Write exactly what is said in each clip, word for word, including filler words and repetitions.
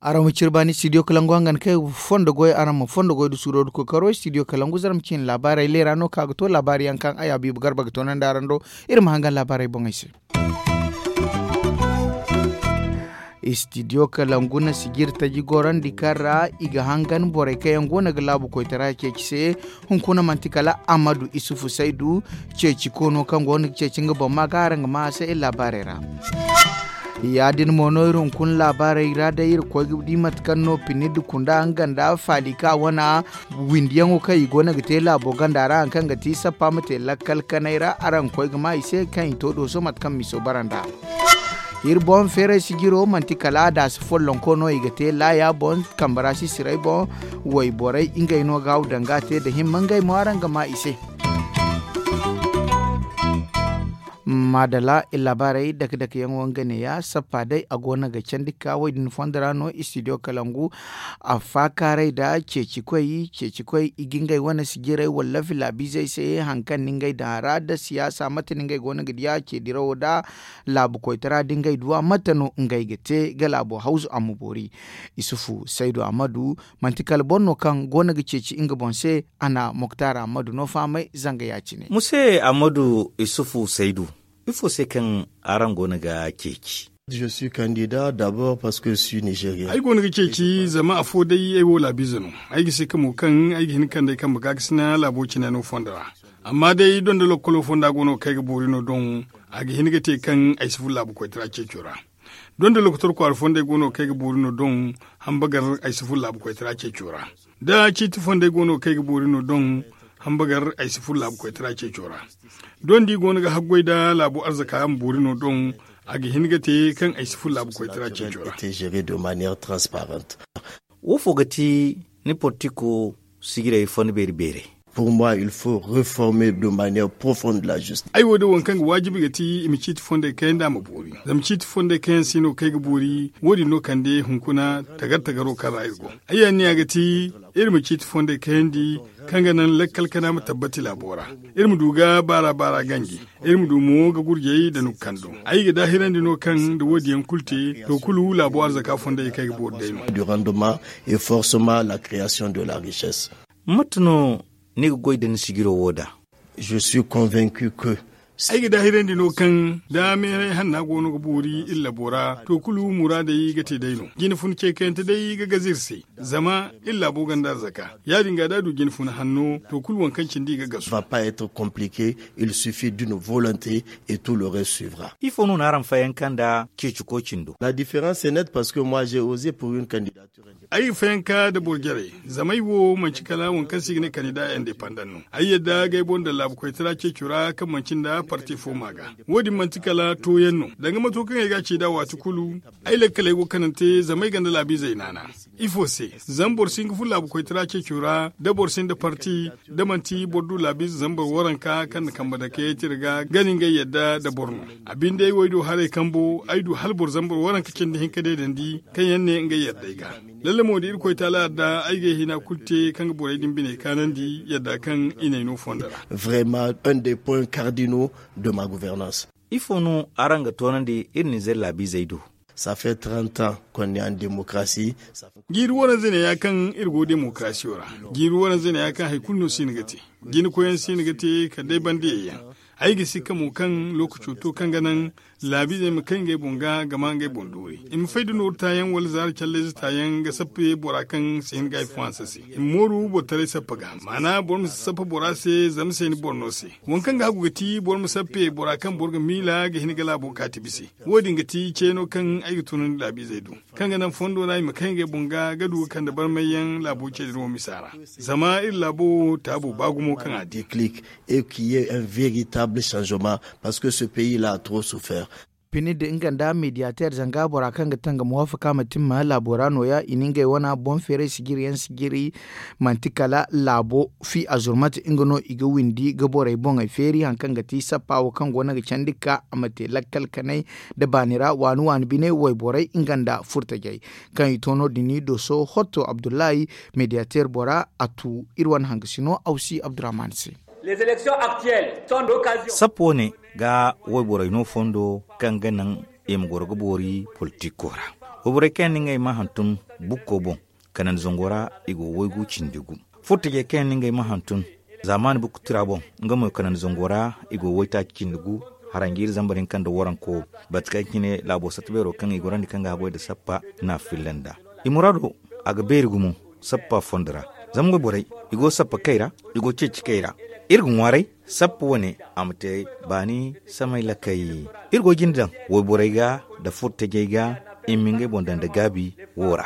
Araŋ ma ciri baani studio kalangu hangan kay fondo goy araŋ ma fondo goy da suuro da kokaro studio kalangu zarma ciine laabaarey leera no ka ga to laabaari yaŋ kaŋ ay habiibu garba ga toonandi araŋ do. Iri ma hangan laabaarey boŋey se. Studio kalangu na sijiri taji gorandi kaŋ ra i ga hangan borey kaŋ yaŋ go no ga laabu koytara ceeci se. Hunkuna manti kala amadu isufu saydu ceeci koono kaŋ go no ga ceeci nga boŋ ma ga araŋ ga ma a se iri laabaarey ra. Ya- din mo no iri hunkuna laabaarey ra day iri koy ga di mate kaŋ no pinidi kunda nga nda faali ka wana windiyaŋo kaŋ i go no ga te laabo ganda ra hari kaŋ ga ti sappa ma te lakkal kanay ra araŋ ga koy ga ma i se kaŋ i to dooso mate kaŋ miso bara nd'a. Iri boŋ feeray sijiro manti kala a daasi follonko no i ga te laaya boŋ kambara sisiray boŋ. Wayborey ngey no ga haw danga te nda himma ngey mo araŋ ga ma i se. Maadala iri laabaarey dake dake yaŋo nga neeya sappa day a go no ga candi ka wo- din fondo ra no studio kalangu. A faakaaray nda ceeci koy ceeci koy i ga ngey wane sijirey wala filaabiizey se hari kaŋ no ngey daŋ a ra nda siyaasa mate no ngey go no ga diya ceedirawo nda laabu koytara nda ngey duwa mate no ngey ga te ga laabo hawzu a ma boori. Isufu saydu amadu manti kala boro no kaŋ go no ga ceeci nga boŋ se. A na moktar amadu no fahamay zanga ya- cine. Muse amadu isufu saydu ifo se kaŋ araŋ go no ga ceeci? Je suis candidat d'abord parce que je suis nigérien. Ay go no ga ceeci zama afo day ay wo laabiize no. Ay ga si ka mo kaŋ ay ga hin kande ay kambe ga ga sina laabo cine no fondo ra. Amma day donda lokkolo fonda go no kaŋ ay ga boori no doŋ. A ga hin ga te kaŋ ay si furo laabu koytara ceeco ra. Donda lokotor kwaara fondey go no kaŋ ay ga boori no doŋ. Hambagar ay si furo laabu koytara ceeco ra. Da ciiti fondey go no kaŋ ay ga boori no doŋ. Hambagar ay si furo laabu koytara ceeco ra. Dondi go no ga haggoy nda laabu arzaka ma boori no doŋ. A ga hin ga te kaŋ ay si furo laabu koytara ceeco ra. Wo fo ga ti ni portiko sijirey fo ni beeri beerey? Pour moi il faut reformer de manière profonde la justice. Ay wo day waŋ kaŋ ga waajibi ga ti i ma ciiti fondey kayandi a ma boori. Zama ciiti fondey kayaŋ se no kaŋ ay ga boori wo- din no kande hunkuna tagar tagaro kaŋ ra iri go. Ay anniya ga ti iri ma ciiti fondey kayandi kaŋ ga naŋ lakkal kana ma tabbati laabo ra. Iri ma du ga baara baara ganji. Iri ma du mo ga gurjey nda nukando. Ay ga daahirandi no kaŋ nda wo- din yaŋ kulu te to kulu laabo arzaka fondey kaŋ ay ga boori day no. Du rendement et forcement la création de la richesse. Mate no ni ga goy nda ni sijiro wo da? Je suis convaincu que ay ga daahirandi no kaŋ da meeray hanna go no ga boori iri labo ra to kulu muraadey ga te day no. Jine fun ceekayante day ga gaze iri se. Zama iri laabo gonda arzaka. Ya- din ga da a du jine fun hanno to kulu waŋ kaŋ cindi i ga gasu. Va pas être compliqué. Il suffit d'une volonté et tout le reste suivra. Ifo no no araŋ fayanka nda ceeciko cindo? La différence est nette parce que moi j'ai osé pour une candidature. Ay ga fayanka nda boro jarey. Zama ay wo manci kala waŋ kaŋ se i ga ne kandida independant no. Ay yadda ga ay boŋ daŋ laabu koytara ceeco ra kaŋ manci nda parti fo ma ga. Wo- din manti kala tooyaŋ no danga mato kaŋ ay ga a ci nd'a waati kulu. Ay lakkaley go kanante zama ay gonda laabiizey naana. Ifo se? Zama boro si hin ga furo laabu koytara ceeco ra da boro sinda parti, da manti boro du laabiize zambar waranka kaŋ na kambe dake tira ga gana ngey yadda nda boro no. A binde ay wo ay du haray kambo ay du hala boro zambar waranka cindi hinka deedandi kaŋ yaŋ ne ngey yadda ay ga. Lalle mo da irkoy taala yadda ay ga ay hina kulu te kaŋ ga borey din biney kaanandi yadda kaŋ i n'ay no fondo ra. Vraiment un des points cardinaux de ma gouvernance. Ifo no araŋ ga toonandi iri nizer laabiizey do? Ça fait trente ans qu'on est en démocratie. Jiiri waranza ne ya kaŋ iri go demokarasiyo ra. Jiiri waranza ne ya kaŋ hari kulu no si no ga te. Jina koyaŋ si no ga te kala day banda yayyaŋ. Ay ga si ka mo kaŋ lookaco to kaŋ ga naŋ laabiizey ma kay ngey boŋ ga ga ma ngey boŋ doori. I ma fay da nooru taayaŋ wala zaari callayze taayaŋ ga sappe bora kaŋ si hin ga ay fo hanse se. I ma mooru boro taray sappa ga maana boro ma si sappa bora se zama se ni boro no se. Waŋ kaŋ ga hagu ga ti boro ma sappe bora kaŋ boro ga miila ga hin ga laabo kaati bise. Wo- din ga ti ceeno kaŋ ay ga tunandi laabiizey do kaŋ ga naŋ fondo ra i ma kay ngey boŋ ga ga du ga kande barmayyaŋ laabo ceediro misa ra. Zama iri laabo wo taabo ba gumo kaŋ a di. Déclic et qu'il y ait un véritable changement parce que ce pays là a trop souffert. Pinid nga nda mediyateer zanga bora kaŋ ga tangam waafaka ma timma laabo ra nooya i na ngey wane boŋ feeray sijiri yaŋ sijiri. Manti kala laabo fi a zurmate nga no i ga windi ga borey boŋey feeri hari kaŋ ga ti sappa wo kaŋ go no ga candi ga ka a ma te lakkal kanay nda baani ra waani waani bine wayborey nga nda furtajey kaŋ i to no- din i doso hotto abdullahi, mediyateer bora a tu iri wane hangasino awsi abdurrahman se. Sappa wo ne ga wayborey no fondo kaŋ ga naŋ i ma goro ga boori politiko ra. Wayborey kaŋ yaŋ no ngey ma hantum bukko boŋ kanandi zango ra i go waygu cindi gu. Furtajey kaŋ yaŋ no ngey ma hantum zaamaani bukutira boŋ nga mo kanandi zango ra i go waytaaci cindi gu. Haranjiiri zambar hinka nda waranko bate kaŋ cine laabo satta beero kaŋ i gorandi kaŋ ga haggoy nda sappa na a filla nd'a. I muraado a ga beeri gumo sappa fondo ra. Zama wayborey i go sappa kay ra, i go ceeci kay ra. Iri ga ŋwaaray sappa wane a ma te baani samay lakay. Iri go jine daŋ wayborey ga nda furtajey ga i ma ngey boŋ daŋ nda gaabi wo ra.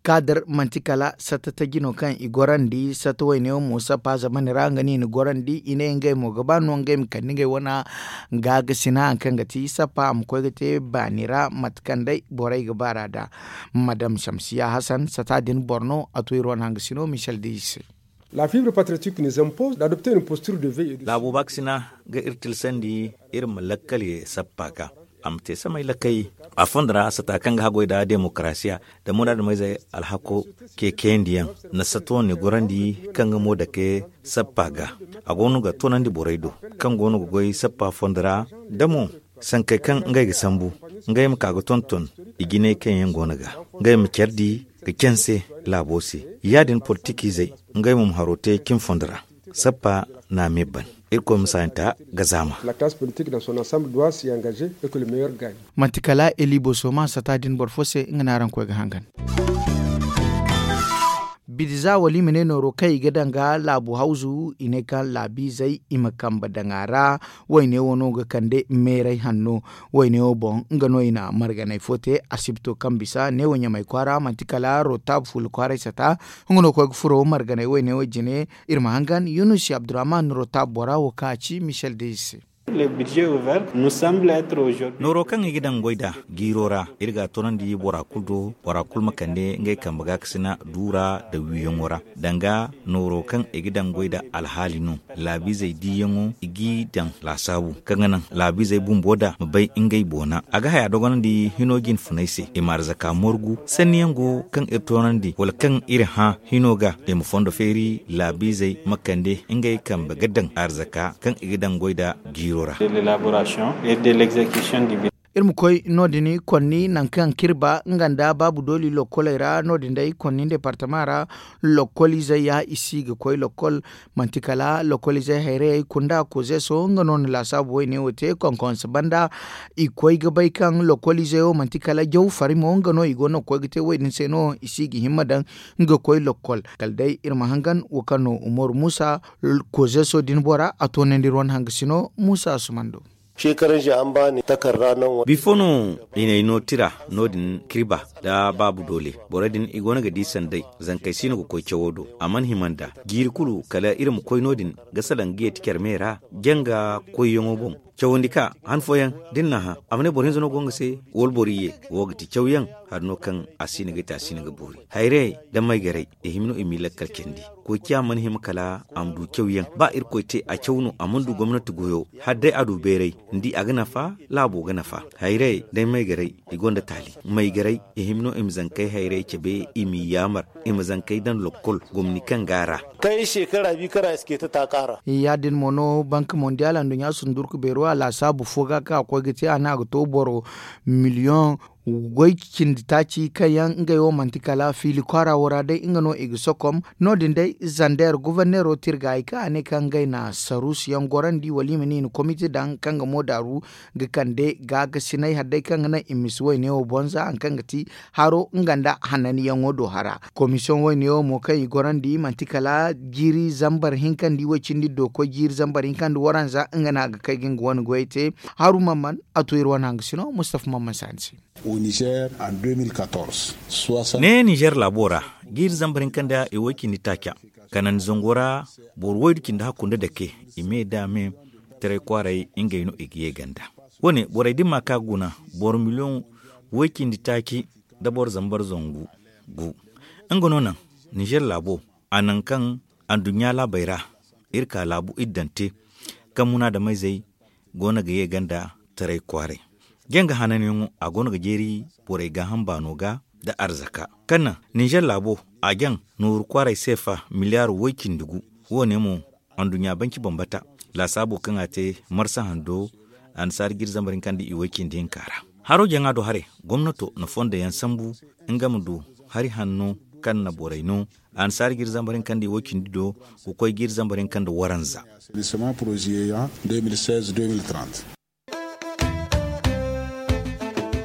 Kaadir manti kala satta taji no kaŋ i gorandi satta wayne wo mo sappa zamani ra nga no i na gorandi i ne ngey mo ga ba no ngey ma kande ngey wane gaagasina hari kaŋ ga ti sappa a ma koy ga te baani ra mate kaŋ day borey ga baara nd'a. Madam shamsiya hasan sata din boro no a to iri wane hangasino michel de i se. Laabo baakasina ga iri tilsandi iri ma lakkal ye sappa ga a ma te samay lakkay. A fondo ra sata kaŋ ga haggoy nda demokarasiya nda muraadu mayzey alhako ke kayandiyaŋ na satta wane gorandi kaŋ ga mo dake sappa ga. A go no ga toonandi borey do kaŋ go no ga goy sappa fondo ra da mo sankey kaŋ ngey ga sambu ngey ma ka ga tonton i jinay kaŋ yaŋ go no ga ngey ma care di ga canse laabo se. Ya- din politikizey ngey mo ma haro te cin fondo ra. Sappa na a me ban irkoy ma saayanta ga zaama. Manti kala eli boso ma sata din boro fo se nga no araŋ koy ga hangan. Bidi za wala i ma ne nooro kaŋ i ga daŋ ga laabu hawzu i ne kaŋ laabiizey i ma kambe daŋ a ra. Wayne wo no ga kande meeray hanno wayne wo boŋ nga no i na marganay fo te asibito kaŋ bisa neewo ɲamay kwaara manti kala rotab fuula kwaaray sata. Nga no koy ga furo marganay wayne wo jine. Iri ma hangan yunusi abdurrahman rotab bora wo kaŋ a ci michel de i se. Nooro kaŋ i ga daŋ goy nd'a jiiro ra iri ga a toonandi bora kulu do bora kulu ma kande ngey kambe gaakasina duura nda wiiyaŋo ra. Danga nooro kaŋ i ga daŋ goy nd'a alhaali no laabiizey diiyaŋo i g'i daŋ laasaabu kaŋ ga naŋ laabiizey bumbo nd'a ma bay ngey boona a ga haya dogonandi hino jinfunay se i ma arzaka morgu sanniyaŋ go kaŋ iri toonandi wala kaŋ iri hã hino ga i ma fondo feeri laabiizey ma kande ngey kambe ga daŋ arzaka kaŋ i ga daŋ goy nd'a jiiro ra. Iri ma koy no- din konni nangu kaŋ kirba nga nda baabu dooli lokkoley ra no- din day konni deepartama ra. Lokkoliizey ya i si ga koy lokkol manti kala lokkoliizey hayrayey kunda kozeso nga no na laasaabu wayne wo te konkonse banda. I koy ga bay kaŋ lokkoliizey wo manti kala jaw fari mo nga no i go no ga koy ga te wo- din se no i si ga himma daŋ nga koy lokkol kala day iri ma hangan wo kaŋ no umaru muusa. Kozeso din bora a toonandi iri wane hangasino muusa asuman do. Bifo no i n'ay no tira no- din kirba nda baabu doole borey din i go no ga di sanday zankey si no ga koy cawo do a mana hima nd'a jiiri kulu kala iri ma koy no- din ga salaŋ ga yeeti care me ra janga koyyaŋo boŋ. Cawandi ka han fooyaŋ da ni n'a hã a ma ne boro hinza no go nga se wala boro iyye wo ga ti cawyaŋ hari no kaŋ a si no ga te a si no ga boori hayrayey da maygarey i hima no i m'i lakkal candi. Koy ciya mana hima kala a ma du cawyaŋ ba irkoy te a caw no a mana du gomnati goyo hala day a du bayray ni di a ga nafa. Laabo ga nafa hayrayey day maygarey i gonda taali maygarey i hima no i ma zankey hayrayey cabe i m'i yaamar i ma zankey daŋ lokkol gomni kaŋ ga a ra. Kaŋ ay shekara bi kara ay si ce ta taaka ra. Ya- din mo no bank mondial anduɲɲa sundurku beero a laasaabu fo ga kaŋ a koy ga te a ne a ga to boro miliyoŋ goy cindi taaci kaŋ yaŋ ngey wo manti kala fiili kwaara wo ra day nga no i ga sokom. No- din day zander goforneero tirga i kaŋ a ne kaŋ ngey na saruusu yaŋ gorandi wala i ma ne i na komite daŋ kaŋ ga mo daaru ga kande gaagasinay hari day kaŋ ga naŋ i ma si wayne wo bonza hari kaŋ ga ti haro nga nda hananyaŋo do hara. Komisiyoŋ wayne wo mo kaŋ i gorandi manti kala jiiri zambar hinka nda i way cindi do koy jiiri zambar hinka nda waranza nga no a ga kay ga nga wane goyey te. Haru mamman a to iri wane hangasino mustafa mamman saani se. Ne nizer laabo ra jiiri zambar hinka nda i way cindi taaca kanandi zango ra boro waydu cindi hakku nda dake i me da me. taray kwaaray ngey no i ga ye ganda. Wo- ne borey da i ma ka ga guna, boro miliyoŋ woy cindi taaci nda boro zambar zangu gu. Nga no naŋ ninzeer laabo, a naŋ kaŋ anduɲɲa laabey ra iri ka laabu iddante, kaŋ munaadameyzey go no ga ye ganda taray kwaaray. Janga hananyaŋo a go no ga jeeri borey gaaham baano ga nda arzaka, kaŋ naŋ ninzeer laabo a jaŋ nooru kwaaray seefa miliyaaro woy cindi gu. Wo- ne mo anduɲɲa banci bambata laasaabo kaŋ a te marsa hando annasaari jiiri zambar hinka nda i woy cindi hinka ra. Haro jaŋa do haray, gomnato na fondo yaŋ sambu nga ma du hari hanno kaŋ na borey no annasaari jiiri zambar hinka nda i woy cindi do ga koy jiiri zambar hinka nda waranza.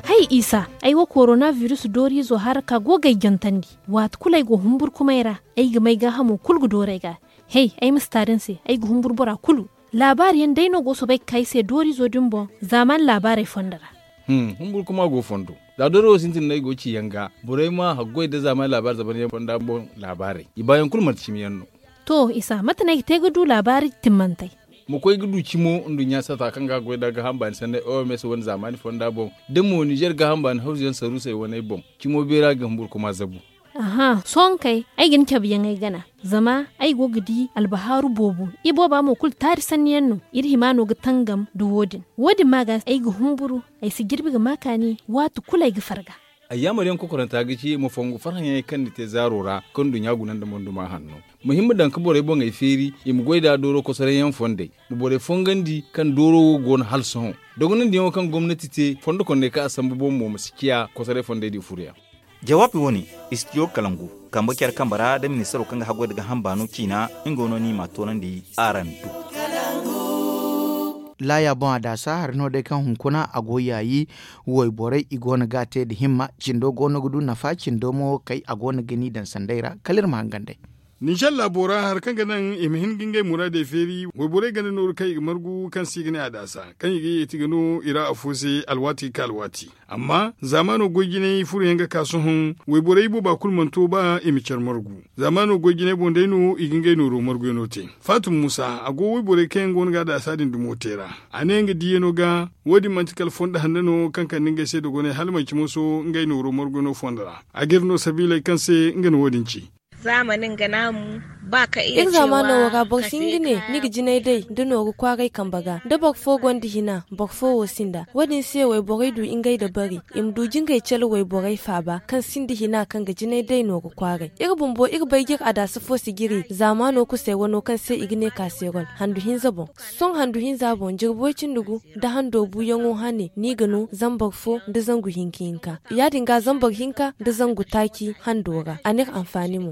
Hay isa, ay wo korona biris dooriizo hara ka go ga ay jantandi. Waati kulu ay go humburkumay ra, ay ga may gaahamo kulu ga dooru ay ga. Hey, ay ma si taari ni se, ay ga humburu bora kulu. Laabaari yaŋ day no go soobay ga ka ay se dooriizo din boŋ zaamaani laabaarey fondo ra. Humburkuma go fondo, za dooro wo sintin no ay go ga ci yaŋ ga. Borey ma haggoy nda zaamaani laabaari zamanyaŋ fonda boŋ laabaarey, i baayaŋ kulu manti cimi yaŋ no. To isa, mate no ay ga te ga du laabaari timmantey? Ma koy ga du cimo nduɲɲa sata kaŋ ga a goy nda gaaham baani sanney oms wane zaamaani fonda boŋ, da mo ninzeer gaaham baani hawzu yaŋ saruusey waney boŋ, cimo beera ga humburkuma zabu. Aha, sohõ kay, ay ga ni cabe yaŋ ay gana. Zama ay go ga di albahaaru boobo. Ibooba mo kulu taari sanni yaŋ no. Iri hima no ga tangam nda wo- din. Wo- din ma ga ay ga humburu, ay si jirbi ga ma kaani waati kulu ay ga farga. Ayyaamar yaŋ kokoranta ga ci ma fongu farhãyaŋey kaŋ ni te zaaro ra kaŋ nduɲɲa guna nda monduma hanno. Ma hin ma daŋ ga borey boŋey feeri, i ma goy nd'a dooro kosoray yaŋ fondey. Ma borey fongandi kaŋ dooro wo go no hala sohõ. Dogonandiyaŋo kaŋ gomnati te fondo kondey kaŋ a sambu boŋ mo ma si ciya kosoray fondey din furoyaŋ. Jawaabi wo- ne, istidiyo kalangu kambe care kambe ra nda ministaro kaŋ ga haggoy nda gaaham baano ciina, nga no no i m'a toonandi araŋ do. Laaya boŋ a daasa hari no day kaŋ hunkuna a go yaayi. Wayborey i go no ga a te nda himma. Cindo go no ga du nafa cindo mo kay a go no ga ni daŋ sanday ra kala iri ma hangan day. Ninzeer laabo ra hari kaŋ ga naŋ i ma hin ga ngey muraadey feeri, wayborey ganda nooru kaŋ i ga margu kaŋ se i ga ne a daasa, kaŋ i ga yeeti ga no i ra afo se alwaati ga ka alwaati. Amma zaamaano goy jinay furoyaŋ ga ka sohõ, wayborey booba kulu mana to ba i ma care margu. Zaamaano goy jinay boŋ day no i ga ngey nooro marguyaŋo te. Faatum muusa, a go wayborey kaŋ yaŋ go no ga a daasa din dumo te ra. A ne nga diiyano ga, wo- din manti kala fondo hanno no kaŋ kande ngey se dogonay hala manci moso ngey nooro marguyaŋo fondo ra. A g'iri no sabiiley kaŋ se nga na wo- din ci. Iri zaamaano wo ra boro si hin ga ne ni ga jinay day nda nooru kwaaray kambe ga da boro fo gonda hina, boro fo wo sinda. Wo- din se wayborey du ngey dabari, i ma du jingay care wayborey faaba kaŋ sinda hina kaŋ ga jinay day nooru kwaaray. Iri bumbo iri bay ga iri adaasa fo sijiri zaamaano kusay wano kaŋ se i ga ne kaaserol handu hinza boŋ. Sohõ handu hinza boŋ jirbi way cindi gu nda hando buuyaŋo hane no i ga no zambar fo nda zangu hinka hinka. Ya- din ga zambar hinka nda zangu taaci hando ra a n'iri anfaani mo.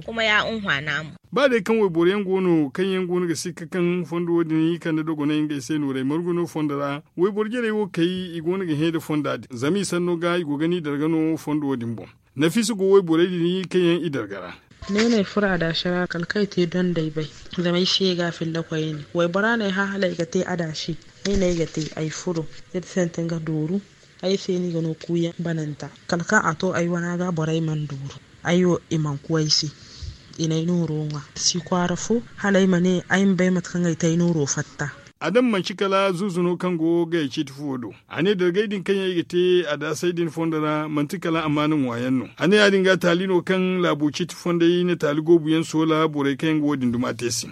Ba day kaŋ wayboro yaŋ go no kaŋ yaŋ go no ga sikka kaŋ fondo wo- din i kande dogonay ngey se nooray margu no fondo ra, wayboro jarey wo kay i go no ga hẽ nda fonda din zama i sanno ga i go ga ni darga no fondo wo- din boŋ. Nafiisa go wayborey din kaŋ yaŋ i darga ra. Ne no ay furo adaasi ra kala kaŋ ay te dondey bay. Zama ay si ye ga a filla koyne waybora no ay hã hala ay ga te adaasi. Ay no ay ga te ay furo iri sintin ga dooru. Ay se no i ga no kuuyaŋ bananta kala kaŋ a to ay wana ga borey mana dooru. Ay wo i mana ku ay se. I n'ay nooro ŋwa si kwaara fo hala ay ma ne ay ma bay mate kaŋ ay te ay nooro fatta. Adama manci kala zuuzu no kaŋ go gayey ciiti fuwo do. A ne dargay din kaŋ yaŋ i ga te adaasey din fondo ra manti kala amaana ŋwaayaŋ no. A ne ya- din ga taali no kaŋ laabo ciiti fondey na taali goobu yaŋ soola borey kaŋ yaŋ ga wo- din duma te se.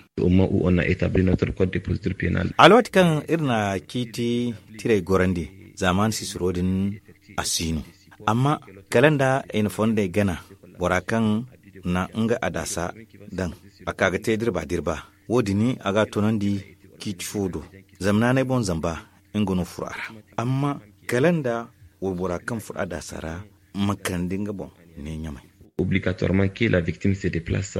Alwaati kaŋ iri na ciiti tirey gorandi zaamaani sisiro din a si no. Amma kala nda i na fondey gana bora kaŋ na nga adaasa daŋ a ka ga te dirba dirba. Wo- din a ga a toonandi ciiti fo do. Zama naanay boŋ zamba nga no furo a ra. Amma kala nda waybora kaŋ furo adaasa ra ma kande nga boŋ ne ɲamay. Obligatoirement que la victime se déplace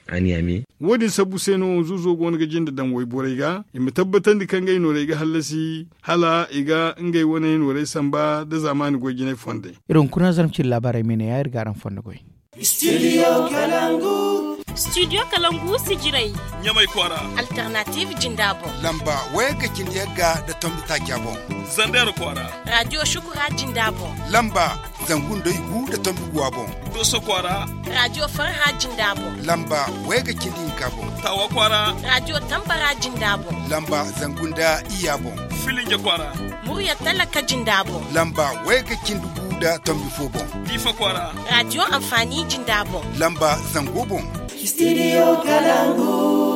à Niamey. Wo- din sabbu se no zuuzo go no ga jinde daŋ wayborey ga i ma tabbatandi kaŋ ngey noorey ga hallasi hala i ga ngey wane noorey samba nda zaamaani goy jinay fondey. Iri hunkuna zarma cine laabaarey me ne ya iri ga araŋ fondo goy. Studio kalangu. Studio kalangu sijirey. Ɲamay kwaara. Alternative jinda boŋ. Lamba wayga cindi yagga da tombi taaca boŋ. Zander kwaara. Radio shukura jinda boŋ. Lamba zangu nda igu da tombi guwa boŋ. Doso kwaara. Radio farha jinda boŋ. Lamba wayga cindi hinka boŋ. Tawa kwaara. Radio tambara jinda boŋ. Lamba zangu nda iya boŋ. Filinja kwaara. Murya talaka jinda boŋ. Lamba wayga cindi gu da tombi fo boŋ. Difa kwaara. Radio amfani jinda boŋ. Lamba zango boŋ. Studio kalangu.